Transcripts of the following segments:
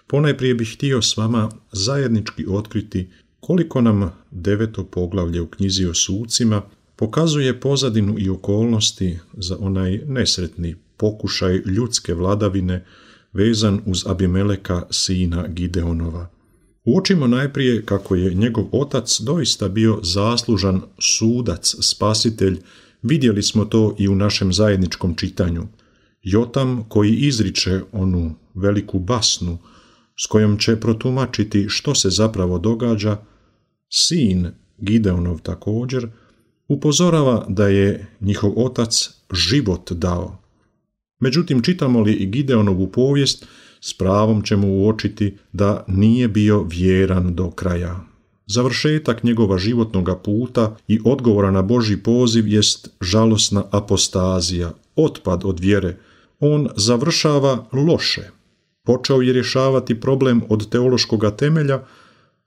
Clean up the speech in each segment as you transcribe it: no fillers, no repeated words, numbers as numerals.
Ponajprije bih htio s vama zajednički otkriti koliko nam 9. poglavlje u knjizi o sucima pokazuje pozadinu i okolnosti za onaj nesretni pokušaj ljudske vladavine vezan uz Abimeleka, sina Gideonova. Uočimo najprije kako je njegov otac doista bio zaslužan sudac, spasitelj. Vidjeli smo to i u našem zajedničkom čitanju. Jotam koji izriče onu veliku basnu s kojom će protumačiti što se zapravo događa, sin Gideonov također, upozorava da je njihov otac život dao. Međutim, čitamo li i Gideonovu povijest, s pravom ćemo uočiti da nije bio vjeran do kraja. Završetak njegova životnoga puta i odgovora na Božji poziv jest žalosna apostazija, otpad od vjere. On završava loše. Počeo je rješavati problem od teološkoga temelja,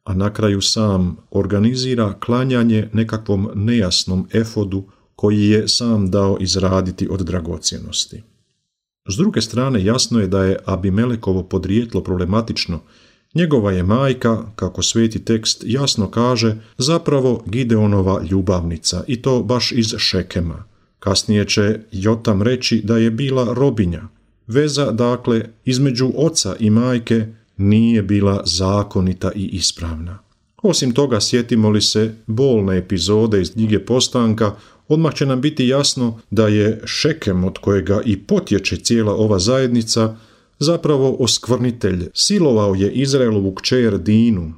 a na kraju sam organizira klanjanje nekakvom nejasnom efodu koji je sam dao izraditi od dragocjenosti. S druge strane, jasno je da je Abimelekovo podrijetlo problematično. Njegova je majka, kako sveti tekst jasno kaže, zapravo Gideonova ljubavnica, i to baš iz Šekema. Kasnije će Jotam reći da je bila robinja. Veza, dakle, između oca i majke nije bila zakonita i ispravna. Osim toga, sjetimo li se bolne epizode iz knjige Postanka, odmah će nam biti jasno da je Šekem, od kojega i potječe cijela ova zajednica, zapravo oskvrnitelj. Silovao je Izraelovu kćer Dinu.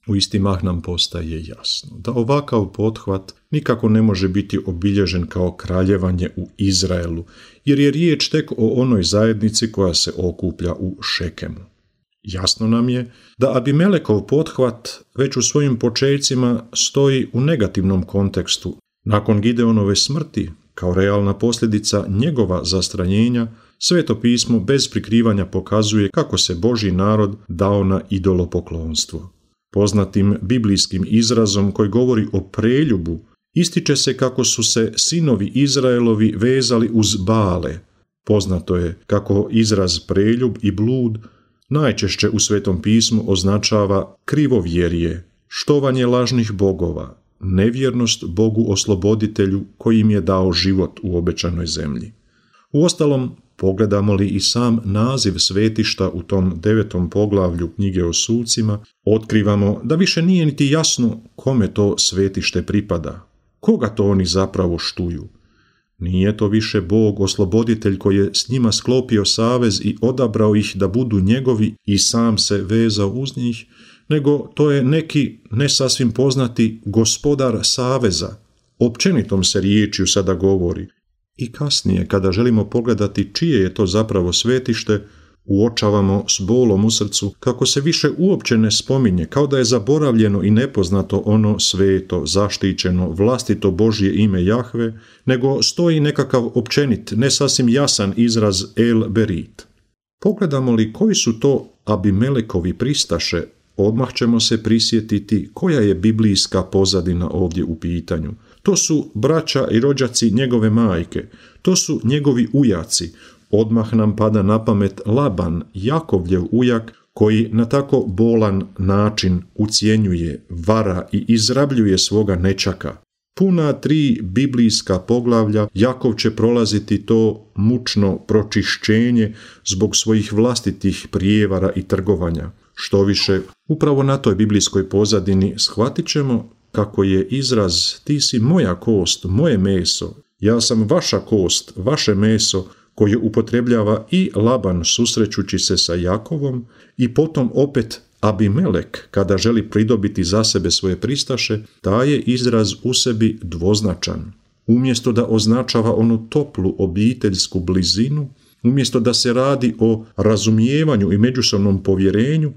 U isti mah nam postaje jasno da ovakav pothvat nikako ne može biti obilježen kao kraljevanje u Izraelu, jer je riječ tek o onoj zajednici koja se okuplja u Šekemu. Jasno nam je da Abimelekov pothvat već u svojim počecima stoji u negativnom kontekstu. Nakon Gideonove smrti, kao realna posljedica njegova zastranjenja, Sveto pismo bez prikrivanja pokazuje kako se Božji narod dao na idolopoklonstvo. Poznatim biblijskim izrazom koji govori o preljubu, ističe se kako su se sinovi Izraelovi vezali uz Bale. Poznato je kako izraz preljub i blud najčešće u Svetom pismu označava krivovjerje, štovanje lažnih bogova, nevjernost Bogu osloboditelju koji im je dao život u obećanoj zemlji. Uostalom, pogledamo li i sam naziv svetišta u tom 9. poglavlju knjige o sucima, otkrivamo da više nije niti jasno kome to svetište pripada, koga to oni zapravo štuju. Nije to više Bog osloboditelj koji je s njima sklopio savez i odabrao ih da budu njegovi i sam se vezao uz njih, nego to je neki ne sasvim poznati gospodar saveza. Općenitom se riječju sada govori. I kasnije, kada želimo pogledati čije je to zapravo svetište, uočavamo s bolom u srcu kako se više uopće ne spominje, kao da je zaboravljeno i nepoznato ono sveto, zaštićeno, vlastito Božje ime Jahve, nego stoji nekakav općenit, ne sasvim jasan izraz El Berit. Pogledamo li koji su to Abimelekovi pristaše, odmah ćemo se prisjetiti koja je biblijska pozadina ovdje u pitanju. To su braća i rođaci njegove majke, to su njegovi ujaci. Odmah nam pada na pamet Laban, Jakovljev ujak, koji na tako bolan način ucjenjuje, vara i izrabljuje svoga nečaka. Puna 3 biblijska poglavlja Jakov će prolaziti to mučno pročišćenje zbog svojih vlastitih prijevara i trgovanja. Štoviše, upravo na toj biblijskoj pozadini shvatit ćemo kako je izraz ti si moja kost, moje meso, ja sam vaša kost, vaše meso, koje upotrebljava i Laban susrećući se sa Jakovom i potom opet Abimelek kada želi pridobiti za sebe svoje pristaše, taj je izraz u sebi dvoznačan. Umjesto da označava onu toplu obiteljsku blizinu, umjesto da se radi o razumijevanju i međusobnom povjerenju,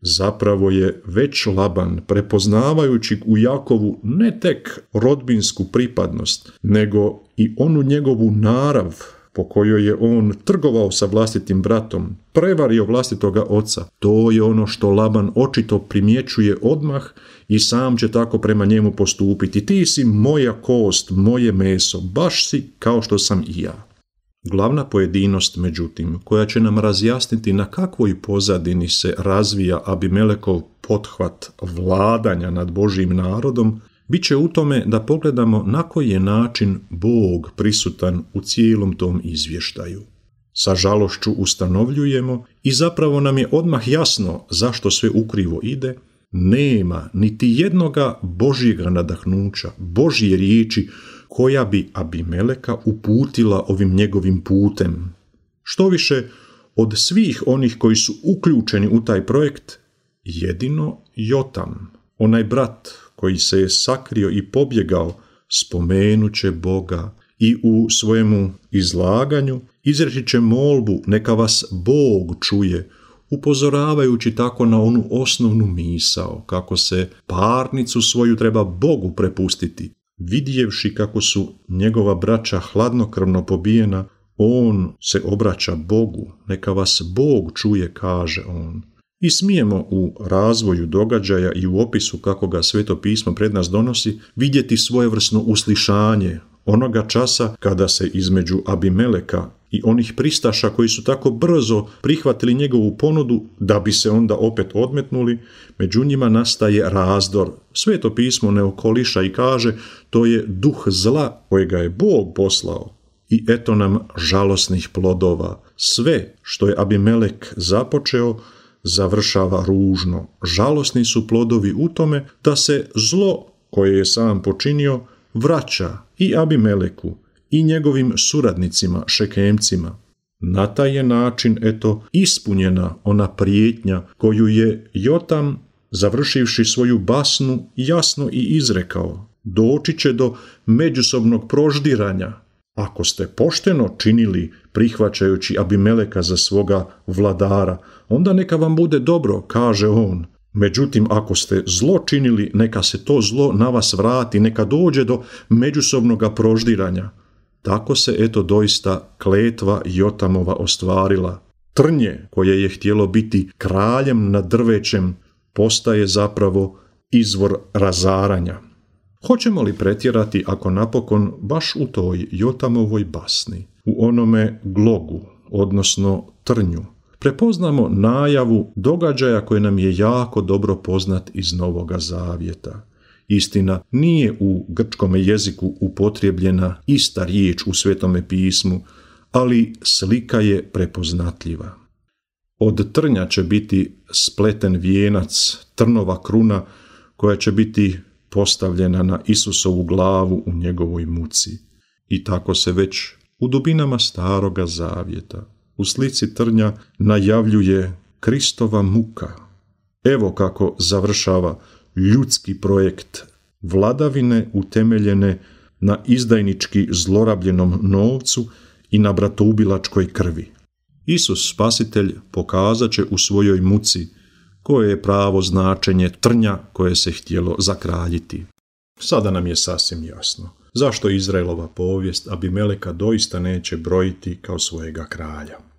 zapravo je već Laban, prepoznavajući u Jakovu ne tek rodbinsku pripadnost, nego i onu njegovu narav po kojoj je on trgovao sa vlastitim bratom, prevario vlastitoga oca. To je ono što Laban očito primjećuje odmah i sam će tako prema njemu postupiti. Ti si moja kost, moje meso, baš si kao što sam i ja. Glavna pojedinost, međutim, koja će nam razjasniti na kakvoj pozadini se razvija Abimelekov pothvat vladanja nad Božjim narodom, bit će u tome da pogledamo na koji je način Bog prisutan u cijelom tom izvještaju. Sa žalošću ustanovljujemo i zapravo nam je odmah jasno zašto sve ukrivo ide. Nema niti jednoga Božjega nadahnuća, Božje riječi koja bi Abimeleka uputila ovim njegovim putem. Štoviše, od svih onih koji su uključeni u taj projekt, jedino Jotam, onaj brat koji se je sakrio i pobjegao, spomenut će Boga i u svojemu izlaganju izreći će molbu neka vas Bog čuje, upozoravajući tako na onu osnovnu misao, kako se parnicu svoju treba Bogu prepustiti. Vidjevši kako su njegova braća hladnokrvno pobijena, on se obraća Bogu, neka vas Bog čuje, kaže on. I smijemo u razvoju događaja i u opisu kako ga Sveto pismo pred nas donosi vidjeti svojevrsno uslišanje onoga časa kada se između Abimeleka i onih pristaša koji su tako brzo prihvatili njegovu ponudu da bi se onda opet odmetnuli, među njima nastaje razdor. Sveto pismo ne okoliša i kaže to je duh zla kojega je Bog poslao. I eto nam žalosnih plodova. Sve što je Abimelek započeo završava ružno. Žalosni su plodovi u tome da se zlo koje je sam počinio vraća i Abimeleku i njegovim suradnicima, Šekemcima. Na taj je način, ispunjena ona prijetnja koju je Jotam, završivši svoju basnu, jasno i izrekao. Doći će do međusobnog proždiranja. Ako ste pošteno činili prihvaćajući Abimeleka za svoga vladara, onda neka vam bude dobro, kaže on. Međutim, ako ste zlo činili, neka se to zlo na vas vrati, neka dođe do međusobnoga proždiranja. Tako se doista kletva Jotamova ostvarila. Trnje koje je htjelo biti kraljem nad drvećem postaje zapravo izvor razaranja. Hoćemo li pretjerati ako napokon baš u toj Jotamovoj basni, u onome glogu, odnosno trnju, prepoznamo najavu događaja koji nam je jako dobro poznat iz Novoga Zavjeta. Istina, nije u grčkom jeziku upotrijebljena ista riječ u Svetome pismu, ali slika je prepoznatljiva. Od trnja će biti spleten vijenac, trnova kruna koja će biti postavljena na Isusovu glavu u njegovoj muci. I tako se već u dubinama Staroga Zavjeta u slici trnja najavljuje Kristova muka. Evo kako završava ljudski projekt vladavine utemeljene na izdajnički zlorabljenom novcu i na bratoubilačkoj krvi. Isus Spasitelj pokazat će u svojoj muci koje je pravo značenje trnja koje se htjelo zakraljiti. Sada nam je sasvim jasno zašto Izraelova povijest Abimeleka doista neće brojiti kao svojega kralja.